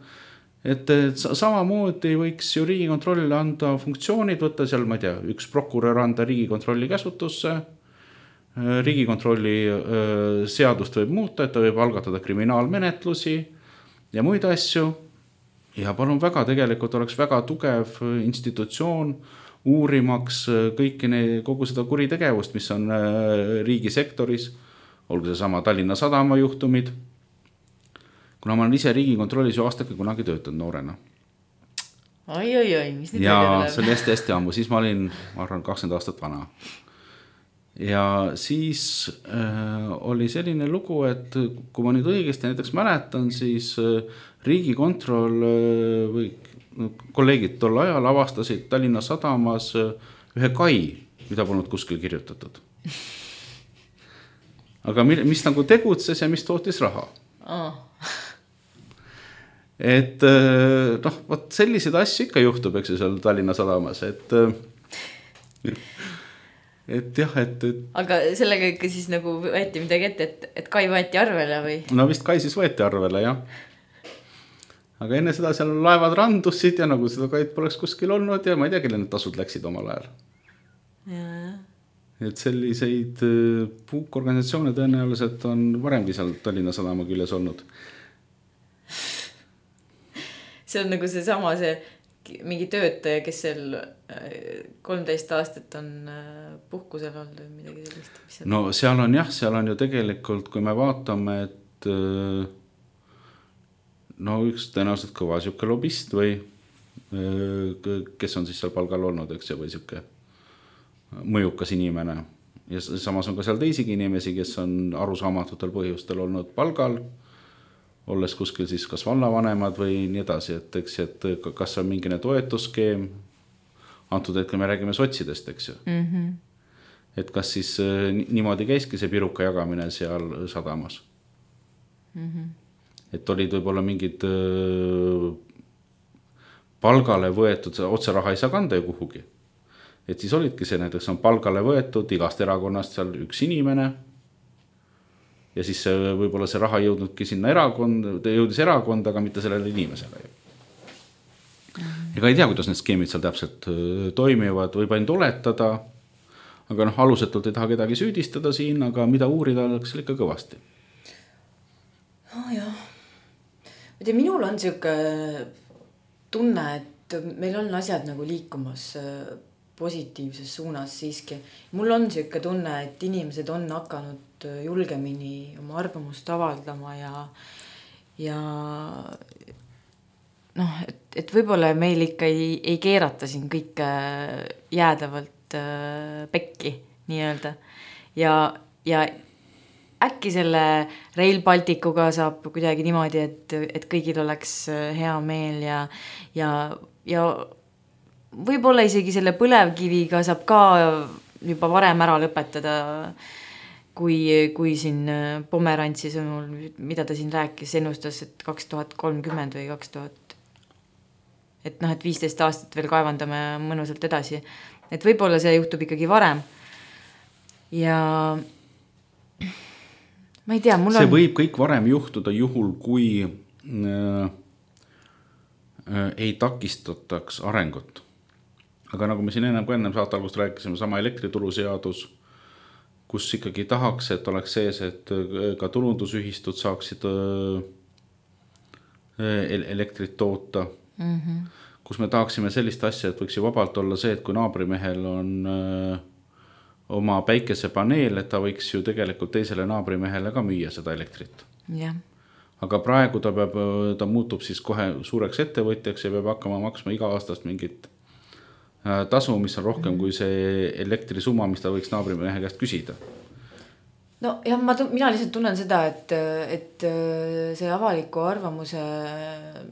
Et samamoodi võiks ju Riigikontroll anda funktsioonid, võtta seal, ma ei tea, üks prokurör anda Riigikontrolli käsutusse, Riigikontrolli seadust võib muuta, et ta võib algatada kriminaalmenetlusi ja muid asju. Ja palun väga, tegelikult oleks väga tugev institutsioon uurimaks kogu seda kuritegevust, mis on riigisektoris, olgu see sama Tallinna Sadama juhtumid. Kuna ma olen ise Riigikontrollis ju aastake kunagi töötanud noorena. Oi, mis nüüd ja see oli hästi ammu, siis ma olin, ma arvan, 20 aastat vana. Ja siis oli selline lugu, et kui ma nüüd õigesti näiteks mäletan, siis Riigikontroll või kolleegid tol ajal avastasid Tallinna Sadamas ühe kai, mida polnud kuskil kirjutatud. Aga mis nagu tegutses ja mis tootis raha. Et noh, võt sellised asju ikka juhtub, eks seal Tallinna Sadamas, et jah, et aga sellega ikka siis nagu võeti midagi ette, et kai võeti arvele või? No vist kai siis võeti arvele, jah. Aga enne seda seal laevad randusid ja nagu seda kaid poleks kuskil olnud ja ma ei tea, kelle need tasud läksid omal ajal. Ja. Et selliseid puukorganisatsioone tõenäoliselt on varemgi seal Tallinna Sadama küljes olnud. See on nagu see mingi töötaja, kes seal 13 aastat on puhkusel olnud või midagi sellist. No seal on jah, seal on ju tegelikult, kui me vaatame, et no üks tõenäoliselt kõva siuke lobist või kes on siis seal palgal olnud, eks või siuke mõjukas inimene. Ja samas on ka seal teisigi inimesi, kes on arusaamatutel põhjustel olnud palgal, olles kuskil siis kas vallavanemad või nii edasi, et kas on mingine toetusskeem, antud hetkel me räägime sotsidest, eks ju. Et kas siis niimoodi käiski see piruka jagamine seal Sadamas. Et olid võib-olla mingid palgale võetud, otse raha ei saa kanda ju kuhugi. Et siis olidki see, näiteks on palgale võetud igast erakonnast seal üks inimene, ja siis võib-olla see raha jõudnudki sinna jõudis erakonda, aga mitte sellele inimesele. Ega ei tea, kuidas need skeemid seal täpselt toimivad, võib ainult oletada, aga alusetult ei taha kedagi süüdistada siin, aga mida uurida oleks ikka kõvasti. Jah. Minul on siuke tunne, et meil on asjad nagu liikumas positiivses suunas siiski. Mul on siuke tunne, et inimesed on hakanud julgemini oma arvamust avaldama ja noh, et võib-olla meil ikka ei keerata siin kõike jäädavalt pekki nii-öelda ja äkki selle Rail Balticuga saab kuidagi niimoodi, et kõigil oleks hea meel ja võib-olla isegi selle põlevkiviga saab ka juba varem ära lõpetada, kui siin Pomerantsi sõnul, mida ta siin rääkis, ennustas, et 2030 või 2000, et 15 aastat veel kaevandame mõnusalt edasi. Et võib-olla see juhtub ikkagi varem. Ja ma ei tea, mul see võib kõik varem juhtuda juhul, kui ei takistataks arengut. Aga nagu me siin ennem saate algust rääkisime, sama elektrituruseadus, kus ikkagi tahaks, et oleks sees, et ka tulundusühistud saaksid elektrit toota, kus me tahaksime sellist asja, et võiks ju vabalt olla see, et kui naabrimehel on oma päikesepaneel, et ta võiks ju tegelikult teisele naabrimehele ka müüa seda elektrit. jah. Aga praegu ta muutub siis kohe suureks ettevõtjaks ja peab hakkama maksma iga aastast mingit tasu, mis on rohkem kui see elektrisumma, mis ta võiks naabrimehe käest küsida. No jah, mina lihtsalt tunnen seda, et see avaliku arvamuse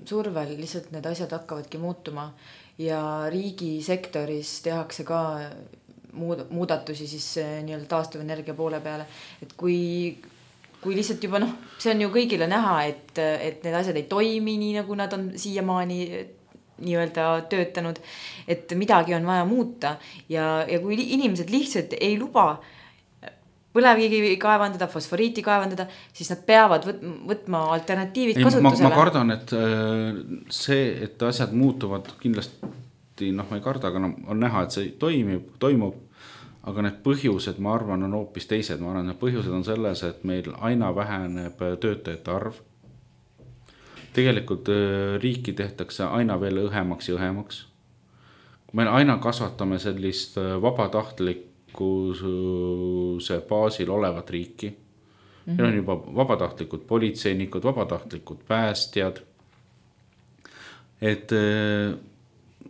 survel lihtsalt need asjad hakkavadki muutuma ja riigisektoris tehakse ka muudatusi siis nii-öelda taastuvenergia poole peale, et kui lihtsalt juba see on ju kõigile näha, et need asjad ei toimi nii, nagu nad on siiamaani nii-öelda töötanud, et midagi on vaja muuta ja kui inimesed lihtsalt ei luba põlevkivi kaevandada, fosforiiti kaevandada, siis nad peavad võtma alternatiivid kasutusele. Ma kardan, et see, et asjad muutuvad kindlasti, ma ei karda, aga on näha, et see toimub, aga need põhjused, ma arvan, on hoopis teised. Ma arvan, need põhjused on selles, et meil aina väheneb töötajate arv. Tegelikult riiki tehtakse aina veel õhemaks ja õhemaks. Kui me aina kasvatame sellist vabatahtlikkuse baasil olevat riiki, meil on juba vabatahtlikud politseinikud, vabatahtlikud päästjad. Et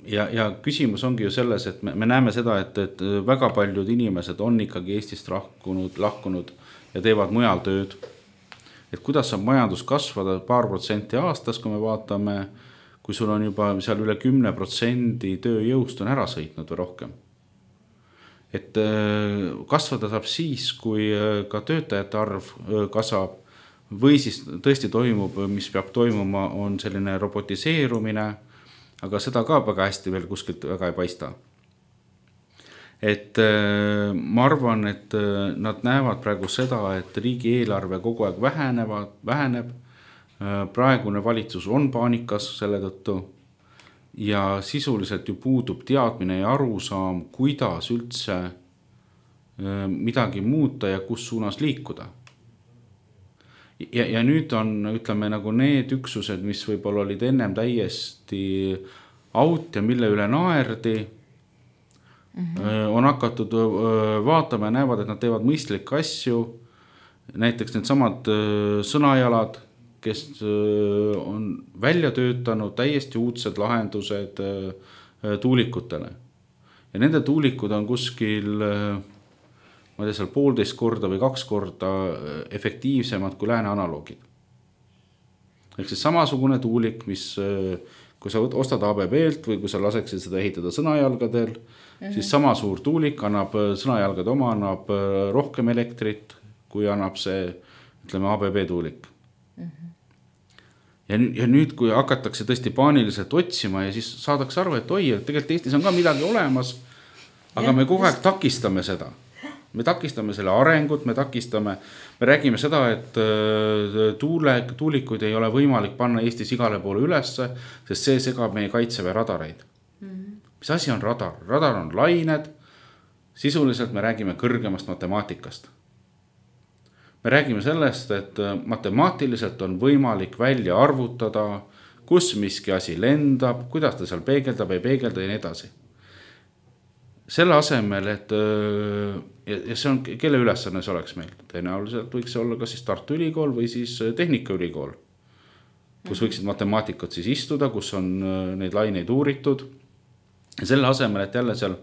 ja küsimus ongi ju selles, et me näeme seda, et väga paljud inimesed on ikkagi Eestist lahkunud ja teevad mujal tööd. Et kuidas saab majandus kasvada paar protsenti aastas, kui me vaatame, kui sul on juba seal üle 10% tööjõust on ära sõitnud või rohkem. Et kasvada saab siis, kui ka töötajate arv kasvab või siis tõesti toimub, mis peab toimuma, on selline robotiseerumine, aga seda ka väga hästi veel kuskilt väga ei paista. Et ma arvan, et nad näevad praegu seda, et riigi eelarve kogu aeg väheneb. Praegune valitsus on paanikas selle tõttu ja sisuliselt ju puudub teadmine ja arusaam, kuidas üldse midagi muuta ja kus suunas liikuda. Ja nüüd on, ütleme, nagu need üksused, mis võib-olla olid ennem täiesti out ja mille üle naerdi, on hakatud vaatama ja näevad, et nad teevad mõistlikke asju. Näiteks need samad sõnajalad, kes on välja töötanud täiesti uudsed lahendused tuulikutele. Ja nende tuulikud on kuskil, ma ei tea, seal 1,5 korda või 2 korda efektiivsemad kui lääne analoogid. Ehk siis samasugune tuulik, mis kui sa ostad ABB-lt või kui sa laseksid seda ehitada sõnajalgadel, siis sama suur tuulik annab, sõnajalgade oma annab rohkem elektrit, kui annab see, ütleme, ABB tuulik. Ja nüüd, kui hakatakse tõesti paaniliselt otsima ja siis saadakse aru, et oi, et tegelikult Eestis on ka midagi olemas, aga me kogu aeg takistame seda. Me takistame selle arengut, me räägime seda, et tuulikuid ei ole võimalik panna Eestis igale poole ülesse, sest see segab meie kaitseväe radareid. Mis asi on radar? Radar on lained, sisuliselt me räägime kõrgemast matemaatikast. Me räägime sellest, et matemaatiliselt on võimalik välja arvutada, kus miski asi lendab, kuidas ta seal peegeldab, ei peegelda ja nii edasi. Selle asemel, et ja see on, kelle ülesanne see oleks meil? Tõenäoliselt võiks see olla kas siis Tartu Ülikool või siis Tehnikaülikool, kus võiksid matemaatikud siis istuda, kus on neid laineid uuritud. Ja selle asemel, et jälle seal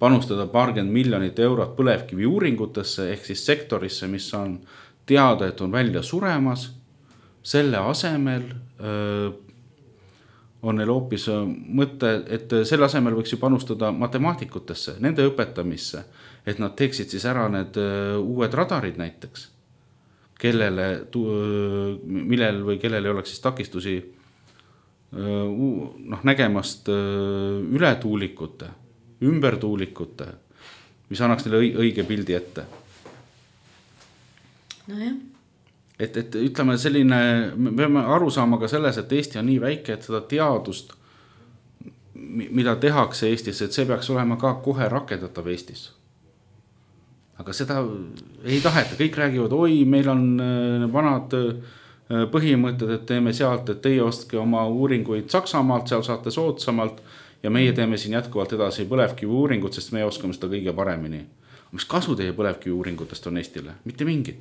panustada paarkümmend miljonit eurot põlevkivi uuringutesse ehk siis sektorisse, mis on teada, et on välja suremas, selle asemel on neil hoopis mõte, et selle asemel võiks ju panustada matemaatikutesse, nende õpetamisse, et nad teeksid siis ära need uued radarid näiteks, millel või kellel ei oleks siis takistusi nägemast üle tuulikute, ümber tuulikute, mis annaks neile õige pildi ette. No jah. Et ütleme selline, me peame aru saama ka selles, et Eesti on nii väike, et seda teadust mida tehakse Eestis, et see peaks olema ka kohe rakendatav Eestis. Aga seda ei taheta, kõik räägivad, oi, meil on vanad põhimõtted, et teeme sealt, et teie ostke oma uuringuid Saksamaalt, seal saate soodsamalt ja meie teeme siin jätkuvalt edasi põlevkivi uuringut, sest me oskame seda kõige paremini. Mis kasu teie põlevkivi uuringutest on Eestile? Mitte mingit.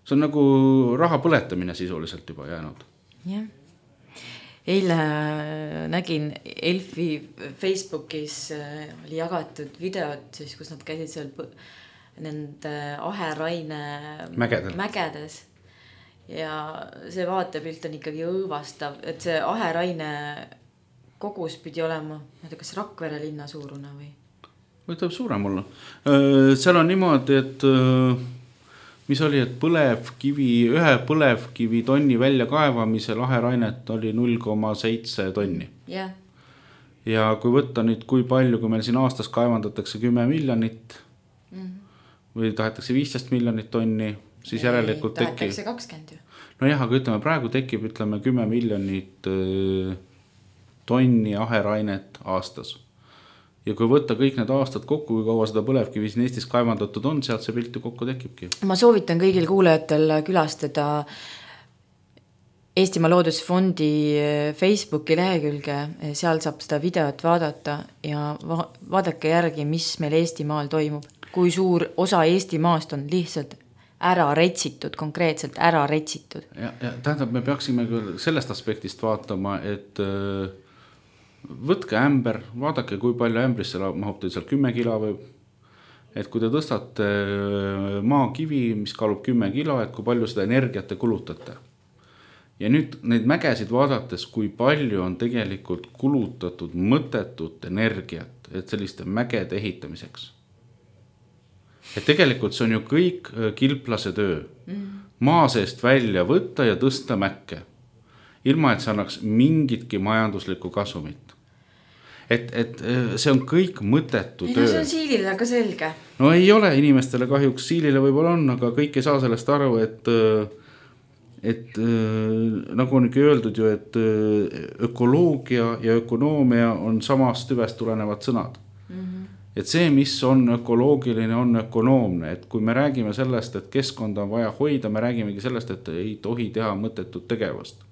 See on nagu raha põletamine sisuliselt juba jäänud. Jah. Eile nägin Elfi Facebookis oli jagatud videot, siis, kus nad käisid seal nende Aheraine mägedes. Ja see vaatepilt on ikkagi õõvastav, et see Aheraine kogus pidi olema, kas Rakvere linna suurune või? Või tuleb suurem olla. Seal on niimoodi, et mis oli, et ühe põlevkivi tonni välja kaevamisel Aherainet oli 0,7 tonni. Yeah. Ja kui võtta nüüd, kui palju, kui meil siin aastas kaevandatakse 10 miljonit või tahetakse 15 miljonit tonni, siis järelikult tahetakse 20 ju. No jah, aga ütleme, praegu tekib 10 miljonit tonni Aherainet aastas. Ja kui võtta kõik need aastad kokku, kui kaua seda põlevkivi siin Eestis kaevandatud on, sealt see pilt ju kokku tekibki. Ma soovitan kõigil kuulajatel külastada Eestimaa Loodusfondi Facebooki lehekülge, seal saab seda videot vaadata ja vaadake järgi, mis meil Eestimaal toimub. Kui suur osa Eestimaast on lihtsalt ära retsitud, konkreetselt ära retsitud. Ja tähendab, me peaksime küll sellest aspektist vaatama, et võtke ämber, vaadake, kui palju ämbrisse mahub teil seal 10 kilo või, et kui te tõstate maakivi, mis kaalub 10 kilo, et kui palju seda energiat te kulutate. Ja nüüd neid mägesid vaadates, kui palju on tegelikult kulutatud mõttetut energiat, et selliste mägede ehitamiseks. Et tegelikult see on ju kõik kilplase töö. Maa seest välja võtta ja tõsta mäkke. Ilma, et see annaks mingitki majanduslikku kasumit. Et see on kõik mõttetu töö. No see on siilile ka selge. No ei ole inimestele kahjuks, siilile võib-olla on, aga kõik ei saa sellest aru, et nagu on ikka öeldud ju, et ökoloogia ja ökonoomia on samast tüvest tulenevad sõnad. Et see, mis on ökoloogiline, on ökonoomne. Et kui me räägime sellest, et keskkonda on vaja hoida, me räägimegi sellest, et ei tohi teha mõttetut tegevust.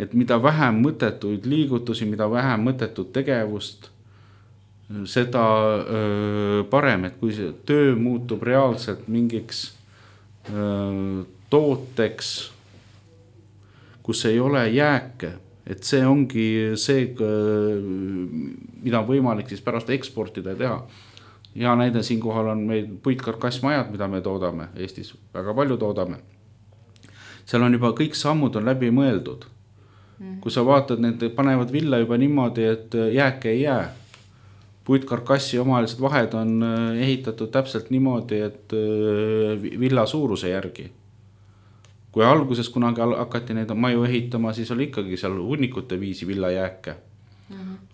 Et mida vähem mõttetuid liigutusi, mida vähem mõttetut tegevust, seda parem. Et kui see töö muutub reaalselt mingiks tooteks, kus ei ole jääke, et see ongi see, mida on võimalik siis pärast eksportida ja teha. Ja näide siinkohal on meil puitkarkassmajad, mida me toodame Eestis, väga palju toodame. Seal on juba kõik sammud on läbi mõeldud. Kui sa vaatad, need panevad villa juba niimoodi, et jääke ei jää. Puitkarkassi omalised vahed on ehitatud täpselt niimoodi, et villa suuruse järgi. Kui alguses kunagi hakati neid maju ehitama, siis oli ikkagi seal hunnikute viisi villajääke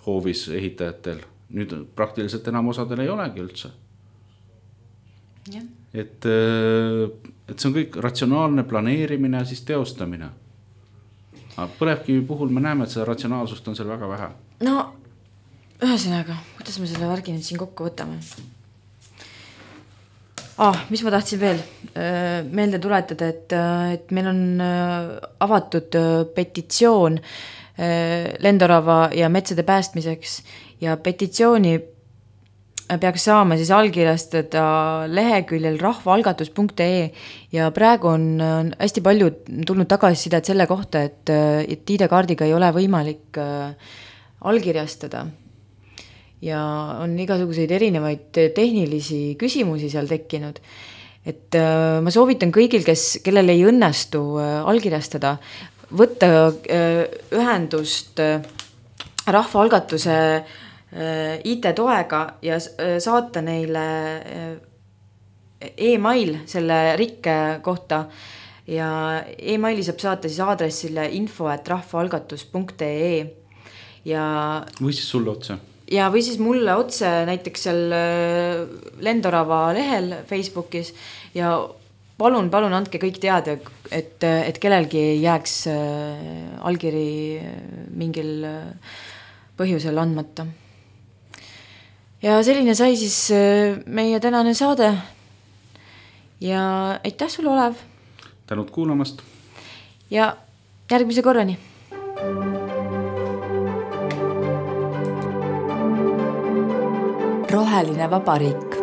hoovis ehitajatel. Nüüd praktiliselt enam osadel ei olegi üldse. Ja. Et see on kõik ratsionaalne planeerimine ja siis teostamine. Aga põlevkivi puhul me näeme, et seda ratsionaalsust on seal väga vähe. No, ühesõnaga, kuidas me selle värgi nüüd siin kokku võtame? Mis ma tahtsin veel meelde tuletada, et meil on avatud petitsioon lendorava ja metsade päästmiseks ja petitsiooni peaks saama siis allkirjastada leheküljel rahvaalgatus.ee ja praegu on hästi palju tulnud tagasisidet selle kohta, et ID-kaardiga ei ole võimalik allkirjastada. Ja on igasuguseid erinevaid tehnilisi küsimusi seal tekkinud. Et ma soovitan kõigil, kellel ei õnnestu allkirjastada, võtta ühendust rahvaalgatuse IT-toega ja saata neile e-mail selle rikke kohta ja e-maili saab saata siis aadressile info@rahvaalgatus.ee ja või siis sulle otse. Ja või siis mulle otse näiteks seal Lendorava lehel Facebookis ja palun andke kõik teada, et kellelgi ei jääks allkiri mingil põhjusel andmata. Ja selline sai siis meie tänane saade. Ja aitäh sulle, Olev! Tänud kuulamast! Ja järgmise korrani! Roheline vabariik.